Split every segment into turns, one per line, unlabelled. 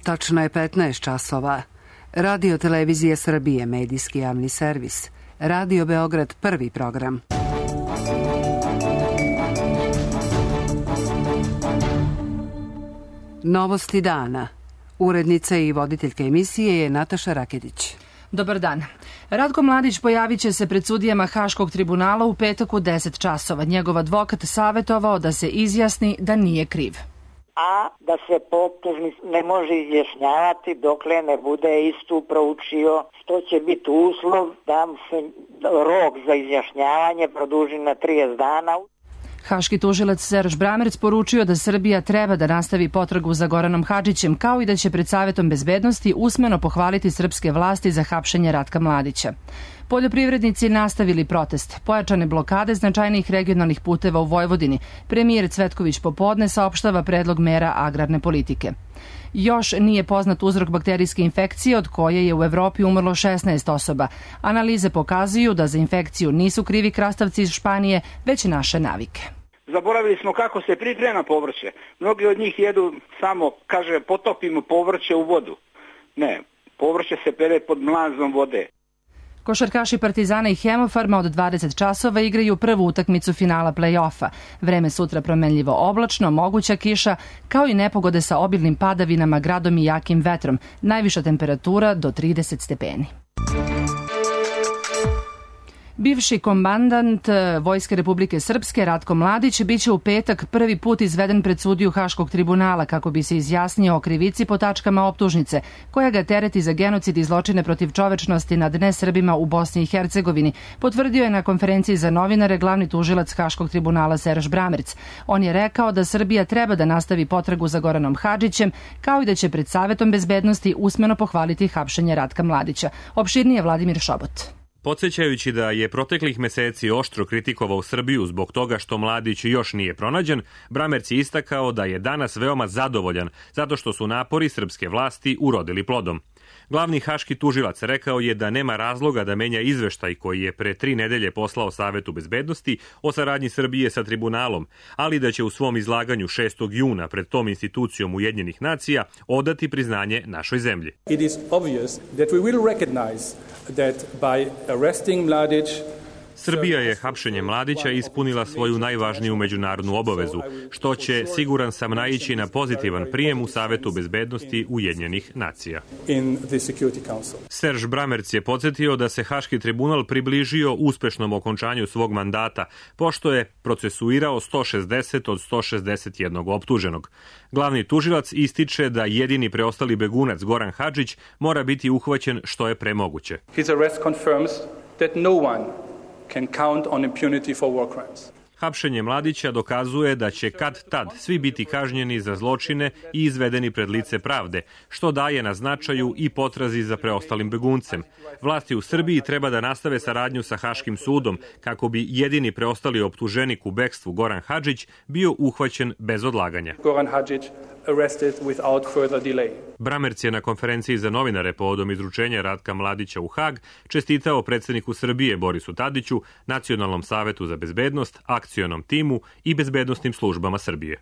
Tačno je 15 časova. Radio Televizije Srbije, medijski javni servis. Radio Beograd, prvi program. Novosti dana. Urednica i voditeljka emisije je Nataša Raketić.
Dobar dan. Ratko Mladić pojavit će se pred sudijama Haškog tribunala u petak u 10 časova. Njegov advokat savjetovao da se izjasni da nije kriv.
A da se po optužnici ne može izjašnjavati dokle ne bude istu proučio, što će biti uslov da se rok za izjašnjavanje produži na 30 dana.
Haški tužilac Serž Bramerc poručio da Srbija treba da nastavi potragu za Goranom Hadžićem, kao i da će pred Savetom bezbednosti usmeno pohvaliti srpske vlasti za hapšenje Ratka Mladića. Poljoprivrednici nastavili protest. Pojačane blokade značajnih regionalnih puteva u Vojvodini. Premijer Cvetković popodne saopštava predlog mera agrarne politike. Još nije poznat uzrok bakterijske infekcije od koje je u Evropi umrlo 16 osoba. Analize pokazuju da za infekciju nisu krivi krastavci iz Španije, već naše navike.
Zaboravili smo kako se priprema povrće. Mnogi od njih jedu samo, kaže, potopimo povrće u vodu. Ne, povrće se pere pod mlazom vode.
Košarkaši Partizana i Hemofarma od 20 časova igraju prvu utakmicu finala play-offa. Vreme sutra promenljivo oblačno, moguća kiša, kao i nepogode sa obilnim padavinama, gradom i jakim vetrom. Najviša temperatura do 30 stepeni. Bivši komandant Vojske Republike Srpske Ratko Mladić biće u petak prvi put izveden pred sudiju Haškog tribunala kako bi se izjasnio o krivici po tačkama optužnice, koja ga tereti za genocid i zločine protiv čovečnosti nad nesrbima u Bosni i Hercegovini, potvrdio je na konferenciji za novinare glavni tužilac Haškog tribunala Serž Bramerc. On je rekao da Srbija treba da nastavi potragu za Goranom Hadžićem, kao i da će pred Savetom bezbednosti usmeno pohvaliti hapšenje Ratka Mladića. Opširnije Vladimir Šobot.
Podsjećajući da je proteklih meseci oštro kritikovao Srbiju zbog toga što Mladić još nije pronađen, Bramerc je istakao da je danas veoma zadovoljan zato što su napori srpske vlasti urodili plodom. Glavni haški tužilac rekao je da nema razloga da menja izveštaj koji je pre 3 nedelje poslao Savetu bezbednosti o saradnji Srbije sa tribunalom, ali da će u svom izlaganju 6. juna pred tom institucijom Ujedinjenih nacija odati priznanje našoj zemlji.
It is obvious that we will recognize that by arresting Mladić,
Srbija je hapšenjem Mladića ispunila svoju najvažniju međunarodnu obavezu, što će, siguran sam, naići na pozitivan prijem u Savetu bezbednosti Ujedinjenih nacija. Serž Bramerc je podsjetio da se Haški tribunal približio uspešnom okončanju svog mandata, pošto je procesuirao 160 od 161 optuženog. Glavni tužilac ističe da jedini preostali begunac Goran Hadžić mora biti uhvaćen što je pre moguće.
His arrest confirms that no one can count on impunity for war crimes.
Hapšenje Mladića dokazuje da će kad tad svi biti kažnjeni za zločine i izvedeni pred lice pravde, što daje na značaju i potrazi za preostalim beguncem. Vlasti u Srbiji treba da nastave saradnju sa Haškim sudom kako bi jedini preostali optuženik u bekstvu Goran Hadžić bio uhvaćen bez odlaganja.
Goran Hadžić arrested without further delay.
Bramerc je na konferenciji za novinare povodom izručenja Ratka Mladića u Hag čestitao predsjedniku Srbije Borisu Tadiću, Nacionalnom savetu za bezbednost, akcionom timu i bezbednosnim službama Srbije.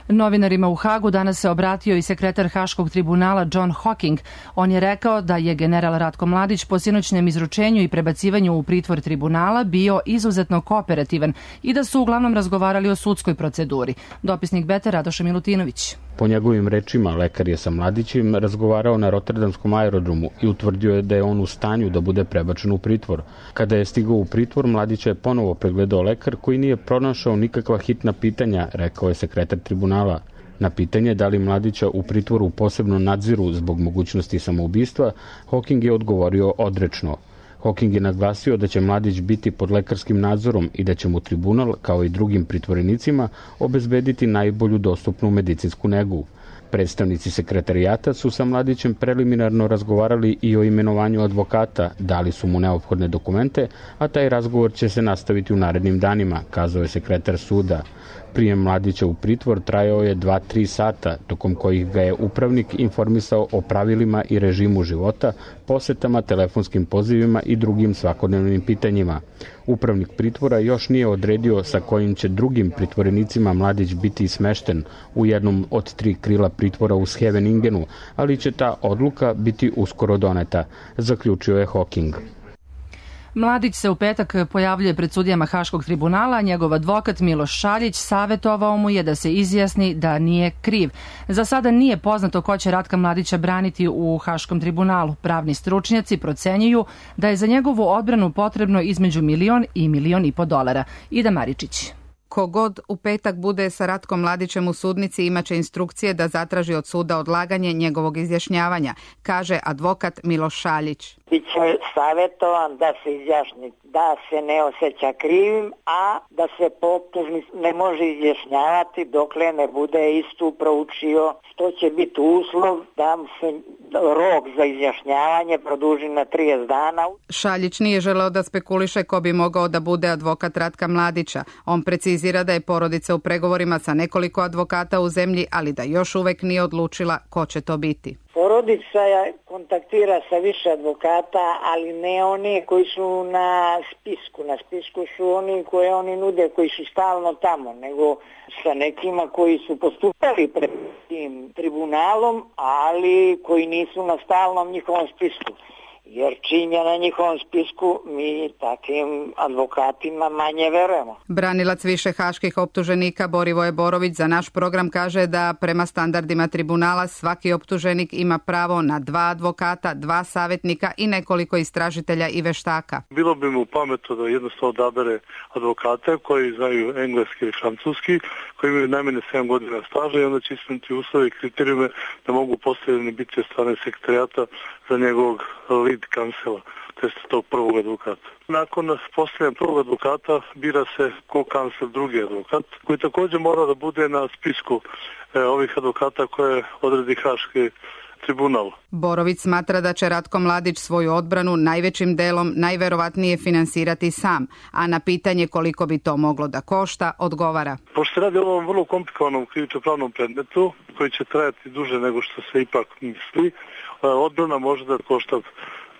Novinarima u Hagu danas se obratio i sekretar Haškog tribunala John Hocking. On je rekao da je general Ratko Mladić po sinoćnem izručenju i prebacivanju u pritvor tribunala bio izuzetno kooperativan i da su uglavnom razgovarali o sudskoj proceduri. Dopisnik Beta Radoša Milutinović.
Po njegovim rečima, lekar je sa Mladićem razgovarao na Rotterdamskom aerodromu i utvrdio je da je on u stanju da bude prebačen u pritvor. Kada je stigao u pritvor, Mladića je ponovo pregledao lekar koji nije pronašao nikakva hitna pitanja, rekao je sekretar tribunala. Na pitanje da li Mladića u pritvoru posebno nadziru zbog mogućnosti samoubistva, Hocking je odgovorio odrečno. Hocking je naglasio da će Mladić biti pod lekarskim nadzorom i da će mu tribunal, kao i drugim pritvorenicima, obezbediti najbolju dostupnu medicinsku negu. Predstavnici sekretarijata su sa Mladićem preliminarno razgovarali i o imenovanju advokata, dali su mu neophodne dokumente, a taj razgovor će se nastaviti u narednim danima, kazao je sekretar suda. Prijem Mladića u pritvor trajao je 2-3 sata, tokom kojih ga je upravnik informisao o pravilima i režimu života, posetama, telefonskim pozivima i drugim svakodnevnim pitanjima. Upravnik pritvora još nije odredio sa kojim će drugim pritvorenicima Mladić biti smešten u jednom od 3 krila pritvora u Scheveningenu, ali će ta odluka biti uskoro doneta, zaključio je Hawking.
Mladić se u petak pojavljuje pred sudijama Haškog tribunala, a njegov advokat Miloš Šaljić savjetovao mu je da se izjasni da nije kriv. Za sada nije poznato ko će Ratka Mladića braniti u Haškom tribunalu. Pravni stručnjaci procenjuju da je za njegovu odbranu potrebno između $1 i $1,5 miliona. Ida Maričić.
Kogod u petak bude sa Ratkom Mladićem u sudnici imaće instrukcije da zatraži od suda odlaganje njegovog izjašnjavanja, kaže advokat Miloš Šaljić.
Biće savjetovan da se izjašnji da se ne osjeća krivim, a da se po optužnici ne može izjašnjavati dokle ne bude istu proučio, što će biti uslov da se rok za izjašnjavanje produži na 30 dana.
Šaljić nije želeo da spekuliše ko bi mogao da bude advokat Ratka Mladića. On precizira da je porodica u pregovorima sa nekoliko advokata u zemlji, ali da još uvek nije odlučila ko će to biti.
Porodica kontaktira sa više advokata, ali ne oni koji su na spisku. Na spisku su oni koje oni nude, koji su stalno tamo, nego sa nekima koji su postupali pred tim tribunalom, ali koji nisu na stalnom njihovom spisku. Jer čim je na njihovom spisku, mi takim advokatima manje verujemo.
Branilac više haških optuženika Borivoje Borović za naš program kaže da prema standardima tribunala svaki optuženik ima pravo na 2 advokata, 2 savjetnika i nekoliko istražitelja i veštaka.
Bilo bi mu pametno da jednostavno odabere advokate koji znaju engleski i francuski, koji imaju najmanje 7 godina staža i onda će ispuniti uslove i kriterijume da mogu postavljeni biti od strane sekretarijata za njegovog lead kansela, to je tog prvog advokata. Nakon postavljanja prvog advokata bira se ko-kansel drugi advokat, koji također mora da bude na spisku ovih advokata koje odredi Haški tribunal.
Borović smatra da će Ratko Mladić svoju odbranu najvećim delom najverovatnije finansirati sam, a na pitanje koliko bi to moglo da košta, odgovara.
Pošto se radi o ovom vrlo komplikovanom krivično-pravnom predmetu, koji će trajati duže nego što se ipak misli, odbrana može da košta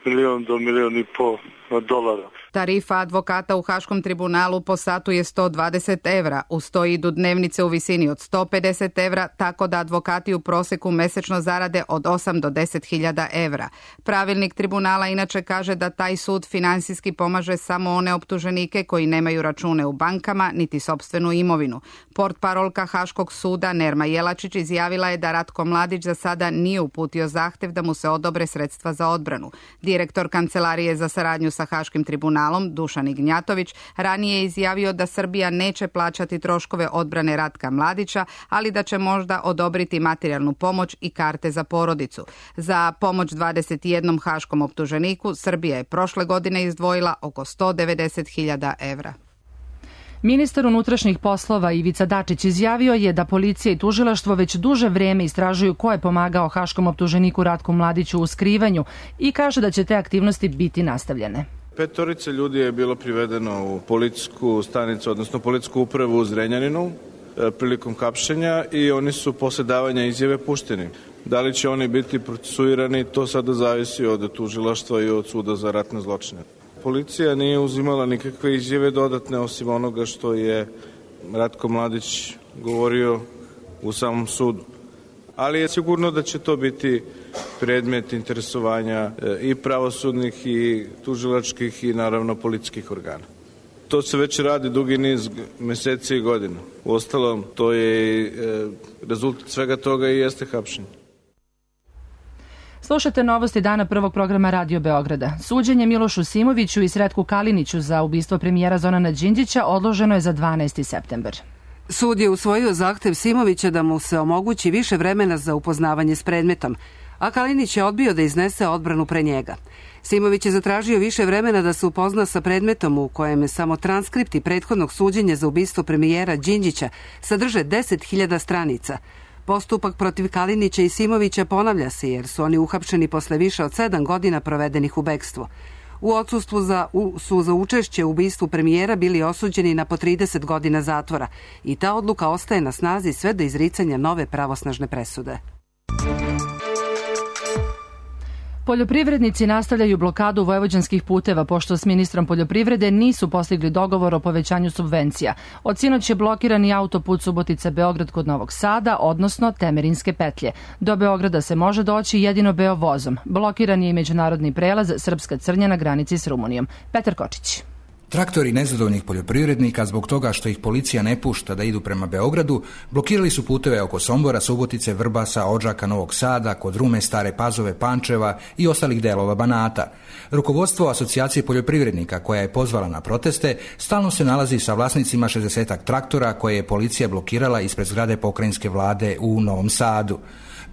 $1 do $1,5 miliona.
Tarifa advokata u Haškom tribunalu po satu je €120. Uz to idu dnevnice u visini od €150, tako da advokati u proseku mesečno zarade od 8 do 10.000 evra. Pravilnik tribunala inače kaže da taj sud finansijski pomaže samo one optuženike koji nemaju račune u bankama niti sopstvenu imovinu. Portparolka Haškog suda Nerma Jelačić izjavila je da Ratko Mladić za sada nije uputio zahtev da mu se odobre sredstva za odbranu. Direktor Kancelarije za saradnju sa Haškim tribunalom Dušan Ignjatović ranije je izjavio da Srbija neće plaćati troškove odbrane Ratka Mladića, ali da će možda odobriti materijalnu pomoć i karte za porodicu. Za pomoć 21 haškom optuženiku Srbija je prošle godine izdvojila oko 190.000 evra.
Ministar unutrašnjih poslova Ivica Dačić izjavio je da policija i tužilaštvo već duže vreme istražuju ko je pomagao haškom optuženiku Ratku Mladiću u skrivanju i kaže da će te aktivnosti biti nastavljene.
5 ljudi je bilo privedeno u policijsku stanicu, odnosno policijsku upravu u Zrenjaninu prilikom hapšenja i oni su posle davanja izjave pušteni. Da li će oni biti procesuirani, to sada zavisi od tužilaštva i od suda za ratne zločine. Policija nije uzimala nikakve izjave dodatne osim onoga što je Ratko Mladić govorio u samom sudu. Ali je sigurno da će to biti predmet interesovanja i pravosudnih i tužilačkih i naravno policijskih organa. To se već radi dugi niz meseci i godina. Uostalom, to je rezultat svega toga i jeste hapšenje.
Slušate novosti dana prvog programa Radio Beograda. Suđenje Milošu Simoviću i Sretku Kaliniću za ubistvo premijera Zorana Đinđića odloženo je za 12. septembar.
Sud je usvojio zahtev Simovića da mu se omogući više vremena za upoznavanje s predmetom, a Kalinić je odbio da iznese odbranu pre njega. Simović je zatražio više vremena da se upozna sa predmetom u kojem samo transkripti prethodnog suđenja za ubistvo premijera Đinđića sadrže 10.000 stranica. Postupak protiv Kalinića i Simovića ponavlja se jer su oni uhapšeni posle više od 7 godina provedenih u bekstvu. u odsustvu su za učešće u ubistvu premijera bili osuđeni na po 30 godina zatvora i ta odluka ostaje na snazi sve do izricanja nove pravosnažne presude.
Poljoprivrednici nastavljaju blokadu vojvođanskih puteva pošto s ministrom poljoprivrede nisu postigli dogovor o povećanju subvencija. Od sinoć je blokiran i autoput Subotica-Beograd kod Novog Sada, odnosno Temerinske petlje. Do Beograda se može doći jedino Beovozom. Blokiran je i međunarodni prelaz Srpska Crnja na granici s Rumunijom. Petar Kočić.
Traktori nezadovoljnih poljoprivrednika zbog toga što ih policija ne pušta da idu prema Beogradu, blokirali su puteve oko Sombora, Subotice, Vrbasa, Odžaka, Novog Sada, kod Rume, Stare Pazove, Pančeva i ostalih delova Banata. Rukovodstvo Asocijacije poljoprivrednika, koja je pozvala na proteste, stalno se nalazi sa vlasnicima 60-ak traktora koje je policija blokirala ispred zgrade pokrajinske vlade u Novom Sadu.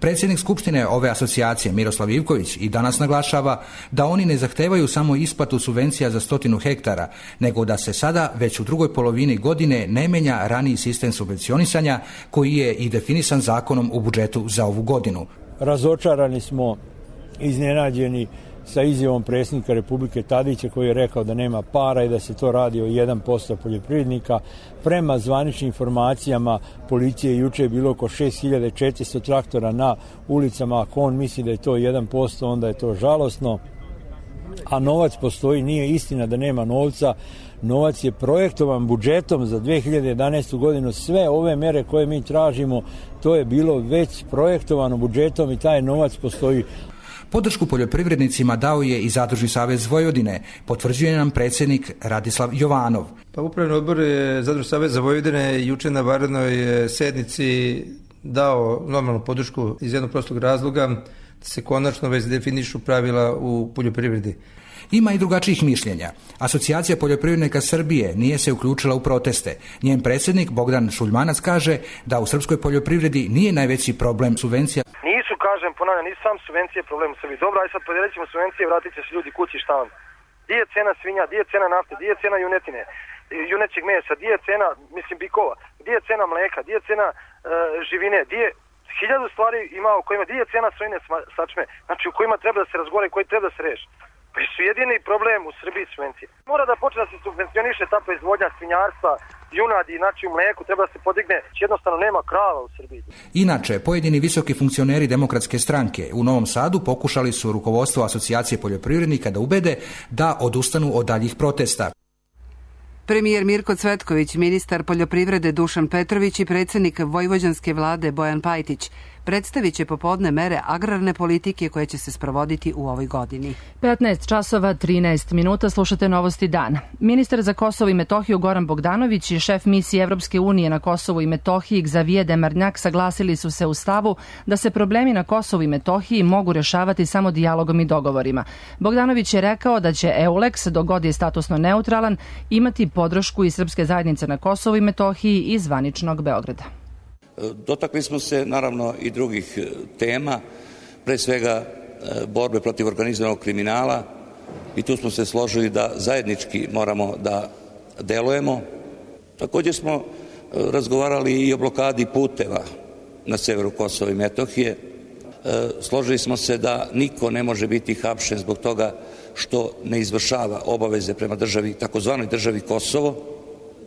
Predsjednik Skupštine ove asocijacije Miroslav Ivković i danas naglašava da oni ne zahtevaju samo isplatu subvencija za 100 hektara, nego da se sada već u drugoj polovini godine ne menja raniji sistem subvencionisanja koji je i definisan zakonom u budžetu za ovu godinu.
Razočarani smo, iznenađeni sa izjavom predsjednika Republike Tadića koji je rekao da nema para i da se to radi o 1% poljoprivrednika. Prema zvaničnim informacijama policije juče je bilo oko 6400 traktora na ulicama. Ako on misli da je to 1%, onda je to žalosno. A novac postoji, nije istina da nema novca. Novac je projektovan budžetom za 2011. godinu. Sve ove mere koje mi tražimo, to je bilo već projektovano budžetom i taj novac postoji.
Podršku poljoprivrednicima dao je i Zadružni savez Vojvodine, potvrđuje nam predsjednik Radislav Jovanov.
Pa Upravni odbor Zadružnog saveza Vojvodine juče na vanrednoj sednici dao normalnu podršku iz jednog prostog razloga da se konačno već definišu pravila u poljoprivredi.
Ima i drugačijih mišljenja. Asocijacija poljoprivrednika Srbije nije se uključila u proteste. Njen predsjednik Bogdan Šuljmanac kaže da u srpskoj poljoprivredi nije najveći problem subvencija.
Ponavljam, nisu sam subvencije problem u Srbiji. Dobro, aj sad podijelit ćemo subvencije, vratit će se ljudi kući, šta onda? Gdje je cena svinja, gdje je cena nafte, gdje je cena junetine, junećeg mesa, gdje je cena, bikova, gdje je cena mleka, gdje je cena živine, gdje je 1000 stvari ima u kojima, gdje je cena sojine sačme, znači u kojima treba da se razgovara i koji treba da se reši. Pa su jedini problem u Srbiji subvencije. Mora da počne da se subvencioniše ta proizvodnja svinjarstva, junadi, znači u mleku treba da se podigne, jednostavno nema krava u Srbiji.
Inače, pojedini visoki funkcioneri Demokratske stranke u Novom Sadu pokušali su rukovodstvo Asocijacije poljoprivrednika da ubede da odustanu od daljih protesta.
Premijer Mirko Cvetković, ministar poljoprivrede Dušan Petrović i predsjednik vojvođanske vlade Bojan Pajtić predstavit će popodne mere agrarne politike koje će se sprovoditi u ovoj godini.
15 časova 13 minuta, slušate Novosti dana. Ministar za Kosovo i Metohiju Goran Bogdanović i šef misije Evropske unije na Kosovu i Metohiji Xavier Demarnjak saglasili su se u stavu da se problemi na Kosovu i Metohiji mogu rješavati samo dijalogom i dogovorima. Bogdanović je rekao da će EULEX, dok god je statusno neutralan, imati podršku i srpske zajednice na Kosovu i Metohiji i zvaničnog Beograda.
Dotakli smo se naravno i drugih tema, pre svega borbe protiv organizovanog kriminala i tu smo se složili da zajednički moramo da delujemo. Također smo razgovarali i o blokadi puteva na severu Kosova i Metohije. Složili smo se da niko ne može biti hapšen zbog toga što ne izvršava obaveze prema državi, takozvanoj državi Kosovo.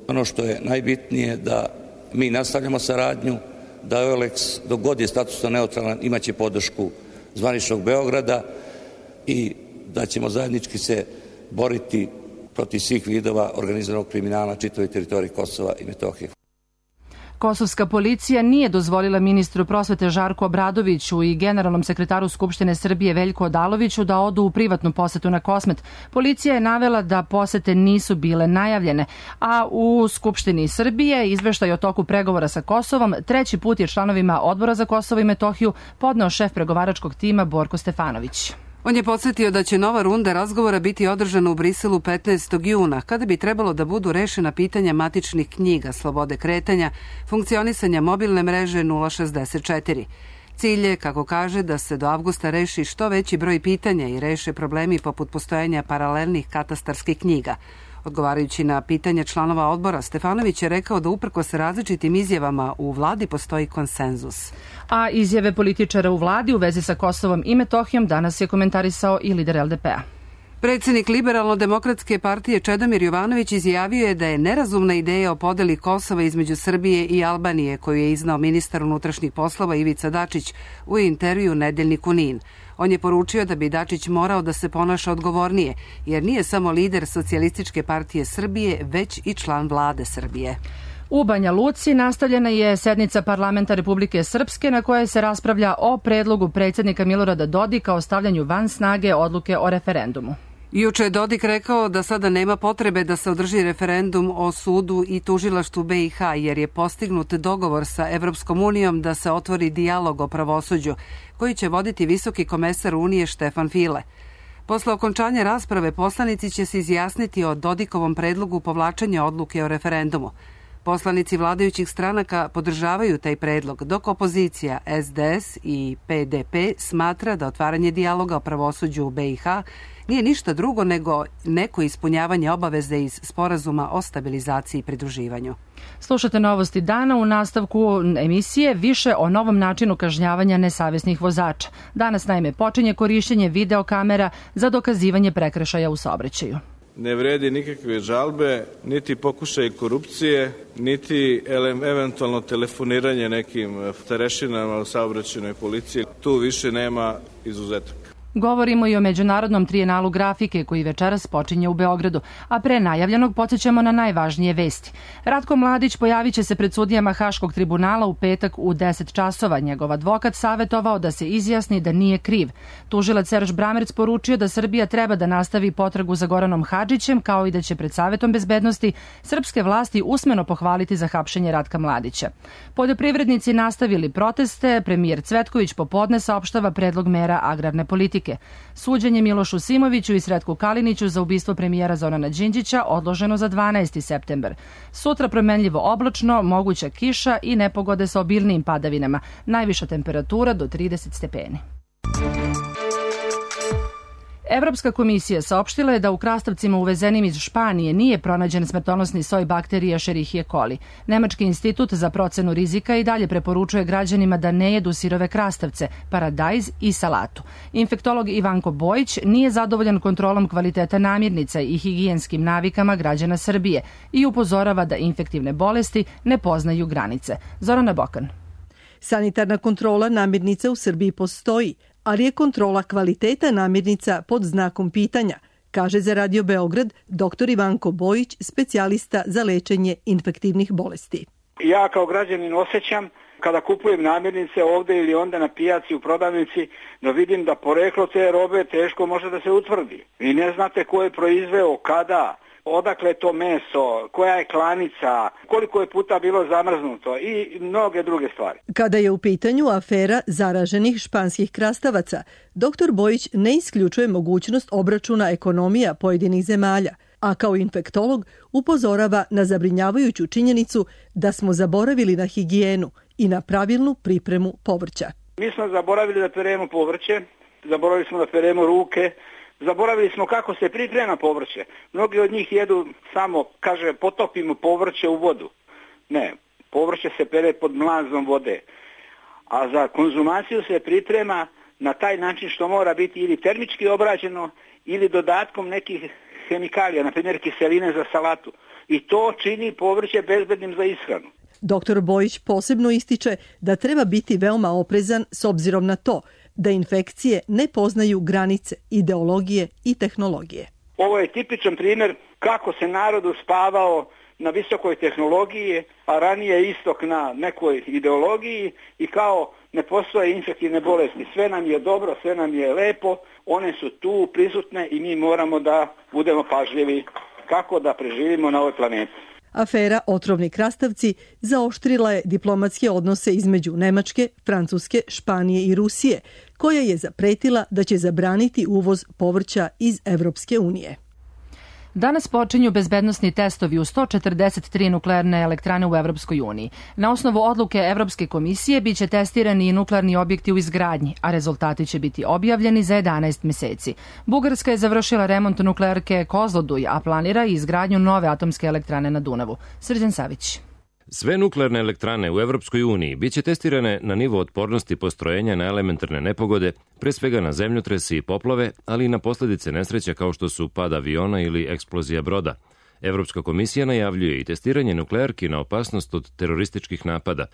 Ono što je najbitnije da mi nastavljamo saradnju, da EULEX, dok god je statusno neutralan, imaće podršku zvaničnog Beograda i da ćemo zajednički se boriti protiv svih vidova organizovanog kriminala na čitavoj teritoriji Kosova i Metohije.
Kosovska policija nije dozvolila ministru prosvete Žarku Obradoviću i generalnom sekretaru Skupštine Srbije Veljku Odaloviću da odu u privatnu posetu na Kosmet. Policija je navela da posete nisu bile najavljene, a u Skupštini Srbije izveštaj o toku pregovora sa Kosovom treći put je članovima Odbora za Kosovo i Metohiju podneo šef pregovaračkog tima Borko Stefanović.
On je podsjetio da će nova runda razgovora biti održana u Briselu 15. juna, kada bi trebalo da budu rešena pitanja matičnih knjiga, slobode kretanja, funkcionisanja mobilne mreže 064. Cilj je, kako kaže, da se do avgusta reši što veći broj pitanja i reše problemi poput postojanja paralelnih katastarskih knjiga. Odgovarajući na pitanje članova odbora, Stefanović je rekao da uprkos različitim izjavama u vladi postoji konsenzus.
A izjave političara u vladi u vezi sa Kosovom i Metohijom danas je komentarisao i lider LDP-a.
Predsednik Liberalno-demokratske partije Čedomir Jovanović izjavio je da je nerazumna ideja o podeli Kosova između Srbije i Albanije, koju je iznao ministar unutrašnjih poslova Ivica Dačić u intervju Nedeljniku NIN. On je poručio da bi Dačić morao da se ponaša odgovornije, jer nije samo lider Socijalističke partije Srbije, već i član vlade Srbije.
U Banja Luci nastavljena je sednica parlamenta Republike Srpske na kojoj se raspravlja o predlogu predsjednika Milorada Dodika o stavljanju van snage odluke o referendumu.
Juče je Dodik rekao da sada nema potrebe da se održi referendum o sudu i tužilaštvu BiH, jer je postignut dogovor sa Evropskom unijom da se otvori dijalog o pravosuđu, koji će voditi visoki komesar Unije Štefan File. Posle okončanja rasprave poslanici će se izjasniti o Dodikovom predlogu povlačenja odluke o referendumu. Poslanici vladajućih stranaka podržavaju taj predlog, dok opozicija SDS i PDP smatra da otvaranje dijaloga o pravosuđu u BiH nije ništa drugo nego neko ispunjavanje obaveze iz Sporazuma o stabilizaciji i pridruživanju.
Slušate novosti dana. U nastavku emisije više o novom načinu kažnjavanja nesavesnih vozača. Danas naime počinje korišćenje videokamera za dokazivanje prekršaja u saobraćaju.
Ne vredi nikakve žalbe, niti pokušaj korupcije, niti eventualno telefoniranje nekim starešinama u saobraćajnoj policiji. Tu više nema izuzetaka.
Govorimo i o Međunarodnom trijenalu grafike koji večeras počinje u Beogradu, a pre najavljenog podsjećamo na najvažnije vesti. Ratko Mladić pojavit će se pred sudijama Haškog tribunala u petak u 10 časova. Njegov advokat savjetovao da se izjasni da nije kriv. Tužilac Serž Bramerc poručio da Srbija treba da nastavi potragu za Goranom Hadžićem, kao i da će pred Savetom bezbednosti srpske vlasti usmeno pohvaliti za hapšenje Ratka Mladića. Poljoprivrednici nastavili proteste, premijer Cvetković popodne saopštava predlog mera agrarne politike. Suđenje Milošu Simoviću i Sretku Kaliniću za ubistvo premijera Zorana Đinđića odloženo za 12. septembar. Sutra promenljivo oblačno, moguća kiša i nepogode sa obilnijim padavinama. Najviša temperatura do 30 stepeni. Evropska komisija saopštila je da u krastavcima uvezenim iz Španije nije pronađen smrtonosni soj bakterije Escherichia coli. Nemački institut za procenu rizika i dalje preporučuje građanima da ne jedu sirove krastavce, paradajz i salatu. Infektolog Ivanko Bojić nije zadovoljan kontrolom kvaliteta namirnica i higijenskim navikama građana Srbije i upozorava da infektivne bolesti ne poznaju granice. Zorana Bokan.
Sanitarna kontrola namirnica u Srbiji postoji, ali je kontrola kvaliteta namirnica pod znakom pitanja, kaže za Radio Beograd dr. Ivanko Bojić, specijalista za lečenje infektivnih bolesti.
Ja kao građanin osjećam kada kupujem namirnice ovde ili onda na pijaci u prodavnici da vidim da poreklo te robe teško može da se utvrdi. Vi ne znate ko je proizveo, kada, odakle je to meso, koja je klanica, koliko je puta bilo zamrznuto i mnoge druge stvari.
Kada je u pitanju afera zaraženih španskih krastavaca, dr. Bojić ne isključuje mogućnost obračuna ekonomija pojedinih zemalja, a kao infektolog upozorava na zabrinjavajuću činjenicu da smo zaboravili na higijenu i na pravilnu pripremu povrća.
Mi smo zaboravili da peremo povrće, zaboravili smo da peremo ruke, zaboravili smo kako se priprema povrće. Mnogi od njih jedu samo, kaže, potopimo povrće u vodu. Ne, povrće se pere pod mlazom vode. A za konzumaciju se priprema na taj način što mora biti ili termički obrađeno ili dodatkom nekih hemikalija, na primjer kiseline za salatu. I to čini povrće bezbednim za ishranu.
Dr. Bojić posebno ističe da treba biti veoma oprezan s obzirom na to da infekcije ne poznaju granice, ideologije i tehnologije.
Ovo je tipičan primjer kako se narod uspavao na visokoj tehnologiji, a ranije istok na nekoj ideologiji i kao ne postoje infektivne bolesti. Sve nam je dobro, sve nam je lepo, one su tu prisutne i mi moramo da budemo pažljivi kako da preživimo na ovoj planeti.
Afera otrovni krastavci zaoštrila je diplomatske odnose između Nemačke, Francuske, Španije i Rusije, koja je zapretila da će zabraniti uvoz povrća iz Evropske unije.
Danas počinju bezbednosni testovi u 143 nuklearne elektrane u Evropskoj uniji. Na osnovu odluke Evropske komisije biće testirani i nuklearni objekti u izgradnji, a rezultati će biti objavljeni za 11 meseci. Bugarska je završila remont nuklearke Kozloduj, a planira i izgradnju nove atomske elektrane na Dunavu. Srđan Savić.
Sve nuklearne elektrane u Evropskoj uniji biće testirane na nivo otpornosti postrojenja na elementarne nepogode, pre svega na zemljotrese i poplave, ali i na posledice nesreća kao što su pad aviona ili eksplozija broda. Evropska komisija najavljuje i testiranje nuklearki na opasnost od terorističkih napada.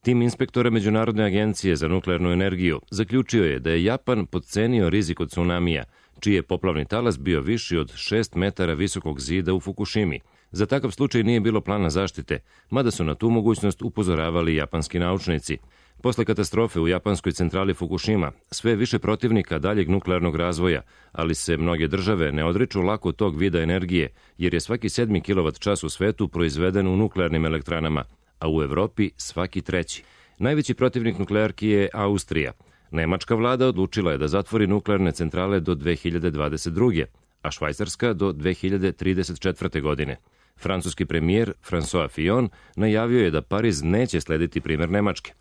Tim inspektora Međunarodne agencije za nuklearnu energiju zaključio je da je Japan podcenio rizik od tsunamija, čiji je poplavni talas bio viši od 6 metara visokog zida u Fukushimi. Za takav slučaj nije bilo plana zaštite, mada su na tu mogućnost upozoravali japanski naučnici. Posle katastrofe u japanskoj centrali Fukushima, sve više protivnika daljeg nuklearnog razvoja, ali se mnoge države ne odriču lako tog vida energije, jer je svaki 7 kWh u svetu proizveden u nuklearnim elektranama, a u Evropi svaki 3. Najveći protivnik nuklearki je Austrija. Nemačka vlada odlučila je da zatvori nuklearne centrale do 2022. a Švajcarska do 2034. godine. Francuski premijer François Fillon najavio je da Pariz neće slediti primer Nemačke.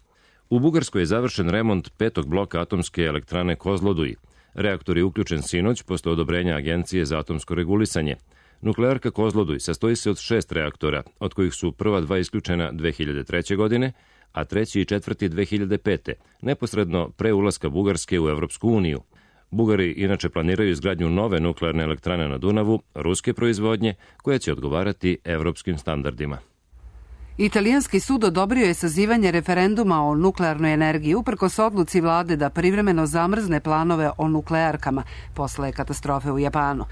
U Bugarskoj je završen remont 5. bloka atomske elektrane Kozloduj. Reaktor je uključen sinoć posle odobrenja Agencije za atomsko regulisanje. Nuklearka Kozloduj sastoji se od 6 reaktora, od kojih su prva 2 isključena 2003. godine, a 3. i 4. 2005. neposredno pre ulaska Bugarske u Evropsku uniju. Bugari inače planiraju izgradnju nove nuklearne elektrane na Dunavu, ruske proizvodnje, koja će odgovarati evropskim standardima.
Italijanski sud odobrio je sazivanje referenduma o nuklearnoj energiji uprkos odluci vlade da privremeno zamrzne planove o nuklearkama posle katastrofe u Japanu.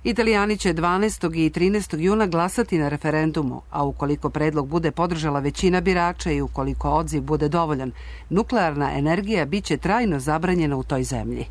Italijani će 12. i 13. juna glasati na referendumu, a ukoliko predlog bude podržala većina birača i ukoliko odziv bude dovoljan, nuklearna energija biće trajno zabranjena u toj zemlji.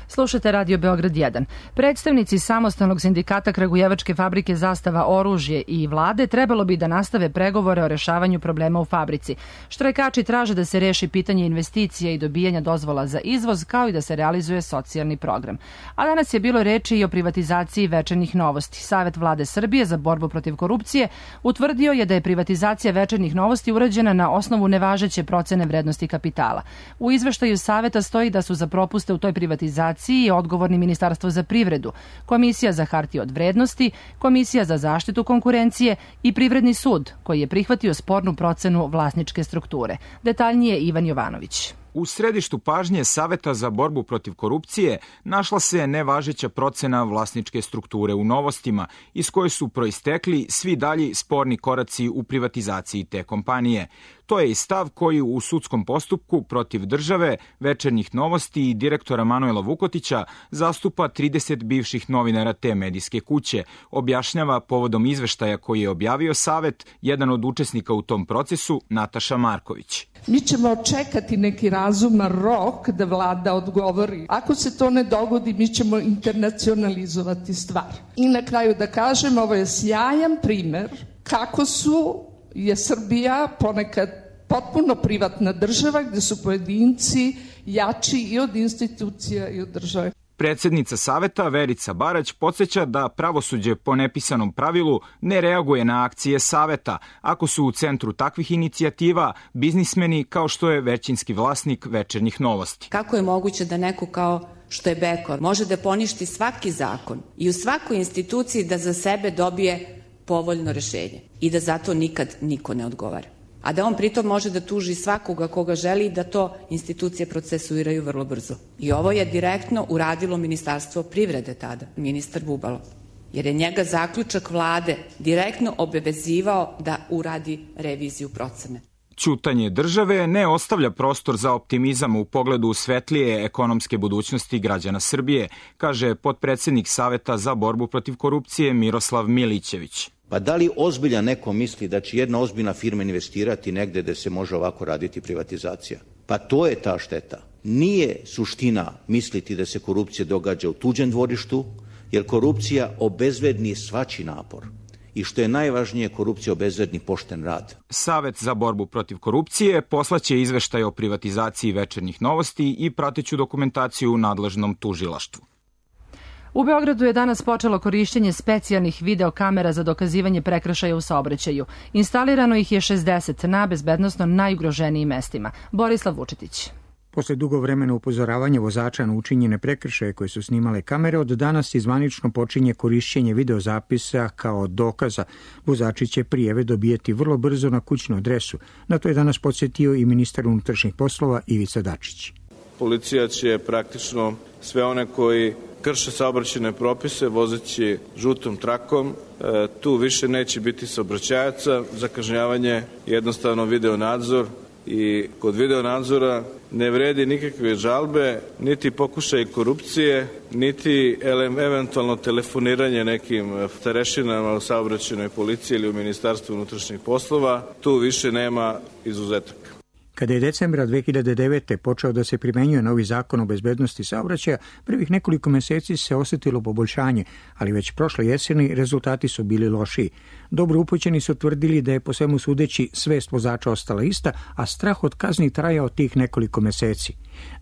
Slušate Radio Beograd 1. Predstavnici samostalnog sindikata Kragujevačke fabrike Zastava oružje i vlade trebalo bi da nastave pregovore o rešavanju problema u fabrici. Štrajkači traže da se reši pitanje investicija i dobijanja dozvola za izvoz, kao i da se realizuje socijalni program. A danas je bilo reči i o privatizaciji Večernjih novosti. Savet vlade Srbije za borbu protiv korupcije utvrdio je da je privatizacija Večernjih novosti urađena na osnovu nevažeće procene vrednosti kapitala. U izveštaju Saveta stoji da su za propuste u toj privatizaciji odgovorni Ministarstvo za privredu, Komisija za hartije od vrednosti, Komisija za zaštitu konkurencije i Privredni sud, koji je prihvatio spornu procenu vlasničke strukture. Detaljnije Ivan Jovanović.
U središtu pažnje Saveta za borbu protiv korupcije našla se nevažeća procena vlasničke strukture u Novostima, iz koje su proistekli svi dalji sporni koraci u privatizaciji te kompanije. To je i stav koji u sudskom postupku protiv države, Večernjih novosti i direktora Manuela Vukotića zastupa 30 bivših novinara te medijske kuće, objašnjava povodom izveštaja koji je objavio Savet, jedan od učesnika u tom procesu, Nataša Marković.
Mi ćemo čekati neki razuman rok da vlada odgovori. Ako se to ne dogodi, mi ćemo internacionalizovati stvar. I na kraju da kažem, ovo je sjajan primer kako je Srbija ponekad potpuno privatna država gde su pojedinci jači i od institucija i od države.
Predsednica Saveta Verica Barać podsjeća da pravosuđe po nepisanom pravilu ne reaguje na akcije Saveta ako su u centru takvih inicijativa biznismeni kao što je većinski vlasnik Večernjih novosti.
Kako je moguće da neko kao što je Bekor može da poništi svaki zakon i u svakoj instituciji da za sebe dobije povoljno rešenje i da zato nikad niko ne odgovara? A da on pritom može da tuži svakoga koga želi i da to institucije procesuiraju vrlo brzo. I ovo je direktno uradilo Ministarstvo privrede tada, ministar Bubalo, jer je njega zaključak vlade direktno obavezivao da uradi reviziju procene.
Ćutanje države ne ostavlja prostor za optimizam u pogledu svetlije ekonomske budućnosti građana Srbije, kaže potpredsednik Saveta za borbu protiv korupcije Miroslav Milićević.
Pa da li ozbiljan neko misli da će jedna ozbiljna firma investirati negde gde se može ovako raditi privatizacija? Pa to je ta šteta. Nije suština misliti da se korupcija događa u tuđem dvorištu, jer korupcija obezvredni svačiji napor. I što je najvažnije, korupcija obezvredni pošten rad.
Savet za borbu protiv korupcije poslaće izveštaj o privatizaciji Večernjih novosti i prateću dokumentaciju u nadležnom tužilaštvu.
U Beogradu je danas počelo korišćenje specijalnih videokamera za dokazivanje prekršaja u saobraćaju. Instalirano ih je 60 na bezbednosno najugroženijim mestima. Borislav Vučetić.
Posle dugo vremena upozoravanja vozača na učinjene prekršaje koje su snimale kamere, od danas zvanično počinje korišćenje videozapisa kao dokaza. Vozači će prijeve dobijeti vrlo brzo na kućnu adresu. Na to je danas podsjetio i ministar unutrašnjih poslova Ivica Dačić.
Policija će praktično sve one koji krše saobraćajne propise vozeći žutom trakom. Tu više neće biti saobraćajaca. Za kažnjavanje jednostavno video nadzor. I kod video nadzora ne vredi nikakve žalbe, niti pokušaj korupcije, niti eventualno telefoniranje nekim starešinama u saobraćajnoj policiji ili u Ministarstvu unutrašnjih poslova. Tu više nema izuzetaka.
Kada je decembra 2009. počeo da se primenjuje novi zakon o bezbednosti saobraćaja, prvih nekoliko meseci se osjetilo poboljšanje, ali već prošle jeseni rezultati su bili lošiji. Dobro upućeni su tvrdili da je po svemu sudeći svest vozača ostala ista, a strah od kazni trajao tih nekoliko meseci.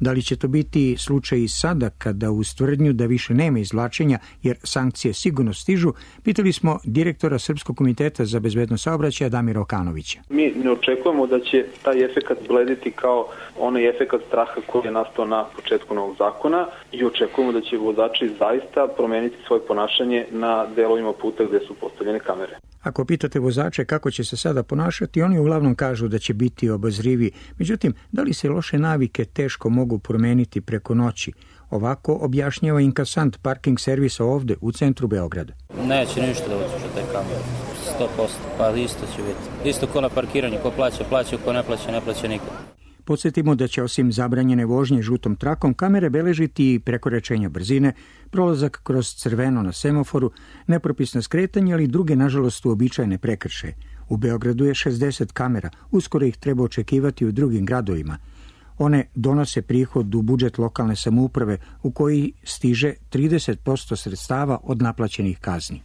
Da li će to biti slučaj i sada kada uz tvrdnju da više nema izvlačenja jer sankcije sigurno stižu, pitali smo direktora Srpskog komiteta za bezbednost saobraćaja Damira Okanovića.
Mi ne očekujemo da će taj efekat blediti kao onaj efekat straha koji je nastao na početku novog zakona i očekujemo da će vozači zaista promeniti svoje ponašanje na delovima puta gde su postavljene kamere.
Ako pitate vozače kako će se sada ponašati, oni uglavnom kažu da će biti obazrivi. Međutim, da li se loše navike teško mogu promeniti preko noći? Ovako objašnjava inkasant parking servisa ovde u centru Beograda.
Neće ništa da utiče te kamere, 100%, pa isto će biti. Isto ko na parkiranju, ko plaća, plaća, ko ne plaća, ne plaća nikad.
Podsjetimo da će osim zabranjene vožnje žutom trakom kamere beležiti i prekoračenja brzine, prolazak kroz crveno na semaforu, nepropisno skretanje, ali i druge, nažalost, uobičajene prekršaje. U Beogradu je 60 kamera, uskoro ih treba očekivati u drugim gradovima. One donose prihod u budžet lokalne samouprave u koji stiže 30% sredstava od naplaćenih kazni.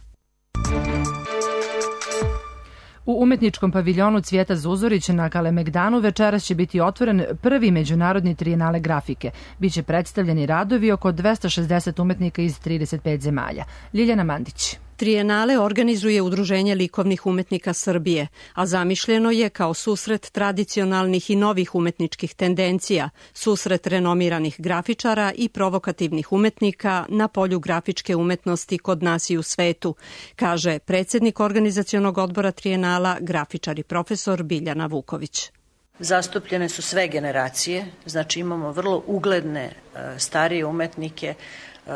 U umetničkom paviljonu Cvijeta Zuzorić na Kalemegdanu večeras će biti otvoren prvi međunarodni trijenale grafike. Biće predstavljeni radovi oko 260 umetnika iz 35 zemalja. Ljiljana Mandić.
Trijenale organizuje Udruženje likovnih umetnika Srbije, a zamišljeno je kao susret tradicionalnih i novih umetničkih tendencija, susret renomiranih grafičara i provokativnih umetnika na polju grafičke umetnosti kod nas i u svetu, kaže predsjednik organizacionog odbora Trijenala, grafičar i profesor Biljana Vuković.
Zastupljene su sve generacije, znači imamo vrlo ugledne starije umetnike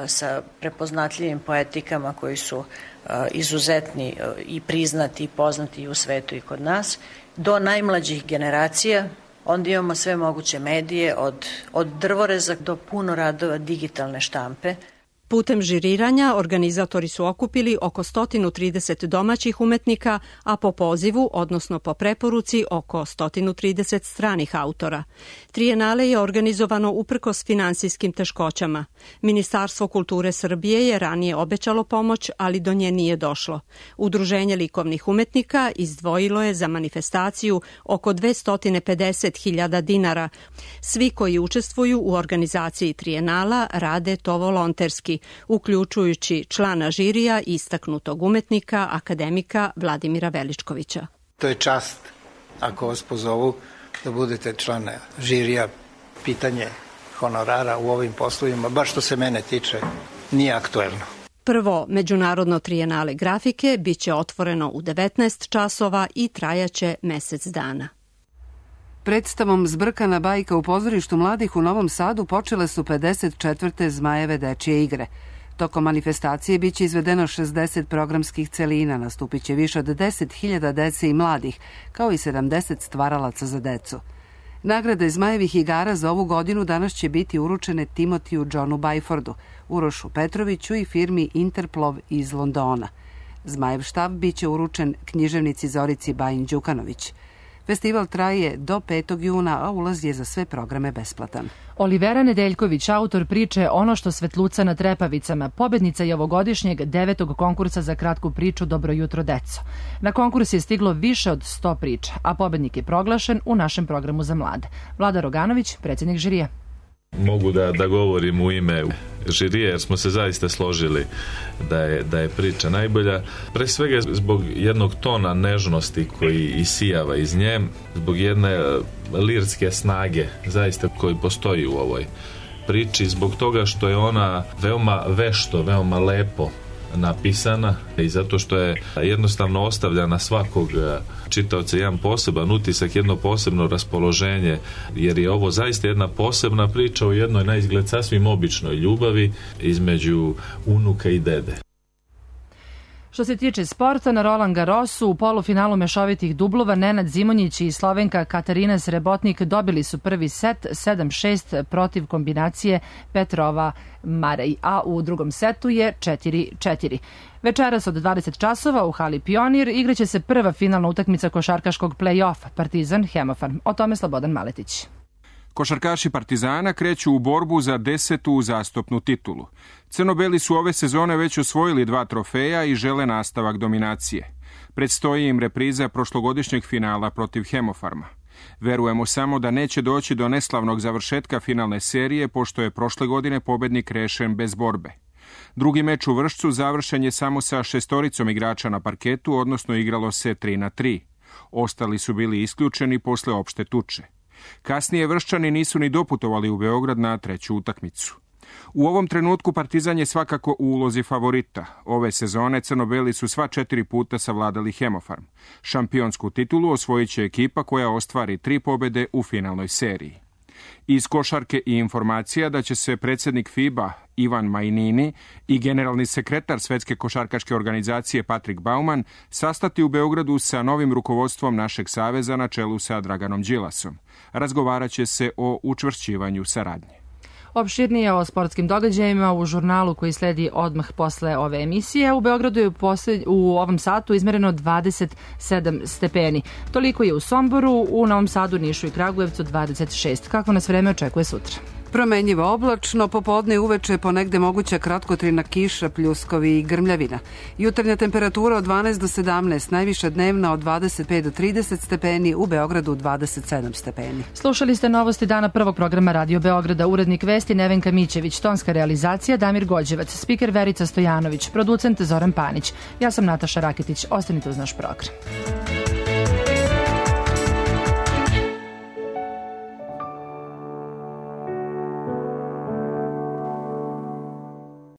sa prepoznatljivim poetikama koji su izuzetni i priznati i poznati i u svetu i kod nas, do najmlađih generacija. Onda imamo sve moguće medije, od drvoreza do puno radova digitalne štampe.
Putem žiriranja organizatori su okupili oko 130 domaćih umetnika, a po pozivu, odnosno po preporuci, oko 130 stranih autora. Trijenale je organizovano uprkos finansijskim teškoćama. Ministarstvo kulture Srbije je ranije obećalo pomoć, ali do nje nije došlo. Udruženje likovnih umetnika izdvojilo je za manifestaciju oko 250.000 dinara. Svi koji učestvuju u organizaciji Trijenala rade to volonterski, uključujući člana žirija istaknutog umetnika, akademika Vladimira Veličkovića.
To je čast ako vas pozovu da budete član žirija. Pitanje honorara u ovim poslovima, baš što se mene tiče, nije aktuelno.
Prvo međunarodno trijenale grafike biće otvoreno u 19 časova i trajaće mesec dana.
Predstavom Zbrkana bajka u pozorištu mladih u Novom Sadu počele su 54. Zmajeve dečije igre. Tokom manifestacije biće izvedeno 60 programskih celina, nastupit će više od 10.000 dece i mladih, kao i 70 stvaralaca za decu. Nagrade Zmajevih igara za ovu godinu danas će biti uručene Timotiju Johnu Bajfordu, Urošu Petroviću i firmi Interplov iz Londona. Zmajev štab biće uručen književnici Zorici Bajin-Đukanović. Festival traje do 5. juna, a ulaz je za sve programe besplatan.
Olivera Nedeljković, autor priče Ono što svetluca na trepavicama, pobednica je ovogodišnjeg 9. konkursa za kratku priču Dobro jutro, deco. Na konkurs je stiglo više od 100 priča, a pobednik je proglašen u našem programu za mlade. Vlada Roganović, predsjednik žirija.
mogu da govorim u ime žirije, jer smo se zaista složili da je priča najbolja. Pre svega zbog jednog tona nežnosti koji isijava iz nje, zbog jedne lirske snage zaista koji postoji u ovoj priči, zbog toga što je ona veoma vešto, veoma lepo napisana i zato što je jednostavno ostavlja na svakog čitaoca jedan poseban utisak, jedno posebno raspoloženje, jer je ovo zaista jedna posebna priča o jednoj na izgled sasvim običnoj ljubavi između unuka i dede.
Što se tiče sporta, na Roland Garrosu u polufinalu mešovitih dublova Nenad Zimonjić i Slovenka Katarina Srebotnik dobili su prvi set 7-6 protiv kombinacije Petrova-Marej, a u drugom setu je 4-4. Večeras od 20 časova u hali Pionir igraće se prva finalna utakmica košarkaškog play-offa Partizan-Hemofarm. O tome Slobodan Maletić.
Košarkaši Partizana kreću u borbu za 10. uzastopnu titulu. Crno-beli su ove sezone već osvojili 2 trofeja i žele nastavak dominacije. Predstoji im repriza prošlogodišnjeg finala protiv Hemofarma. Verujemo samo da neće doći do neslavnog završetka finalne serije, pošto je prošle godine pobednik rešen bez borbe. Drugi meč u Vršcu završen je samo sa 6 igrača na parketu, odnosno igralo se 3-3. Ostali su bili isključeni posle opšte tuče. Kasnije Vrščani nisu ni doputovali u Beograd na 3. utakmicu. U ovom trenutku Partizan je svakako u ulozi favorita. Ove sezone crno-beli su sva 4 puta savladali Hemofarm. Šampionsku titulu osvojit će ekipa koja ostvari 3 pobede u finalnoj seriji. Iz košarke i informacija da će se predsjednik FIBA Ivan Majnini i generalni sekretar Svetske košarkaške organizacije Patrik Bauman sastati u Beogradu sa novim rukovodstvom našeg saveza na čelu sa Draganom Đilasom. Razgovarat će se o učvršćivanju saradnje.
Opširnije o sportskim događajima u žurnalu koji sledi odmah posle ove emisije. U Beogradu je u ovom satu izmereno 27 stepeni. Toliko je u Somboru, u Novom Sadu, Nišu i Kragujevcu 26. Kako nas vreme očekuje sutra?
Promenjivo oblačno, popodne i uveče ponegde moguća kratkotrajna kiša, pljuskovi i grmljavina. Jutarnja temperatura od 12 do 17, najviša dnevna od 25 do 30 stepeni, u Beogradu 27 stepeni.
Slušali ste novosti dana prvog programa Radio Beograda, urednik vesti Nevenka Mićević, tonska realizacija Damir Gođevac, spiker Verica Stojanović, producent Zoran Panić. Ja sam Nataša Raketić, ostanite uz naš program.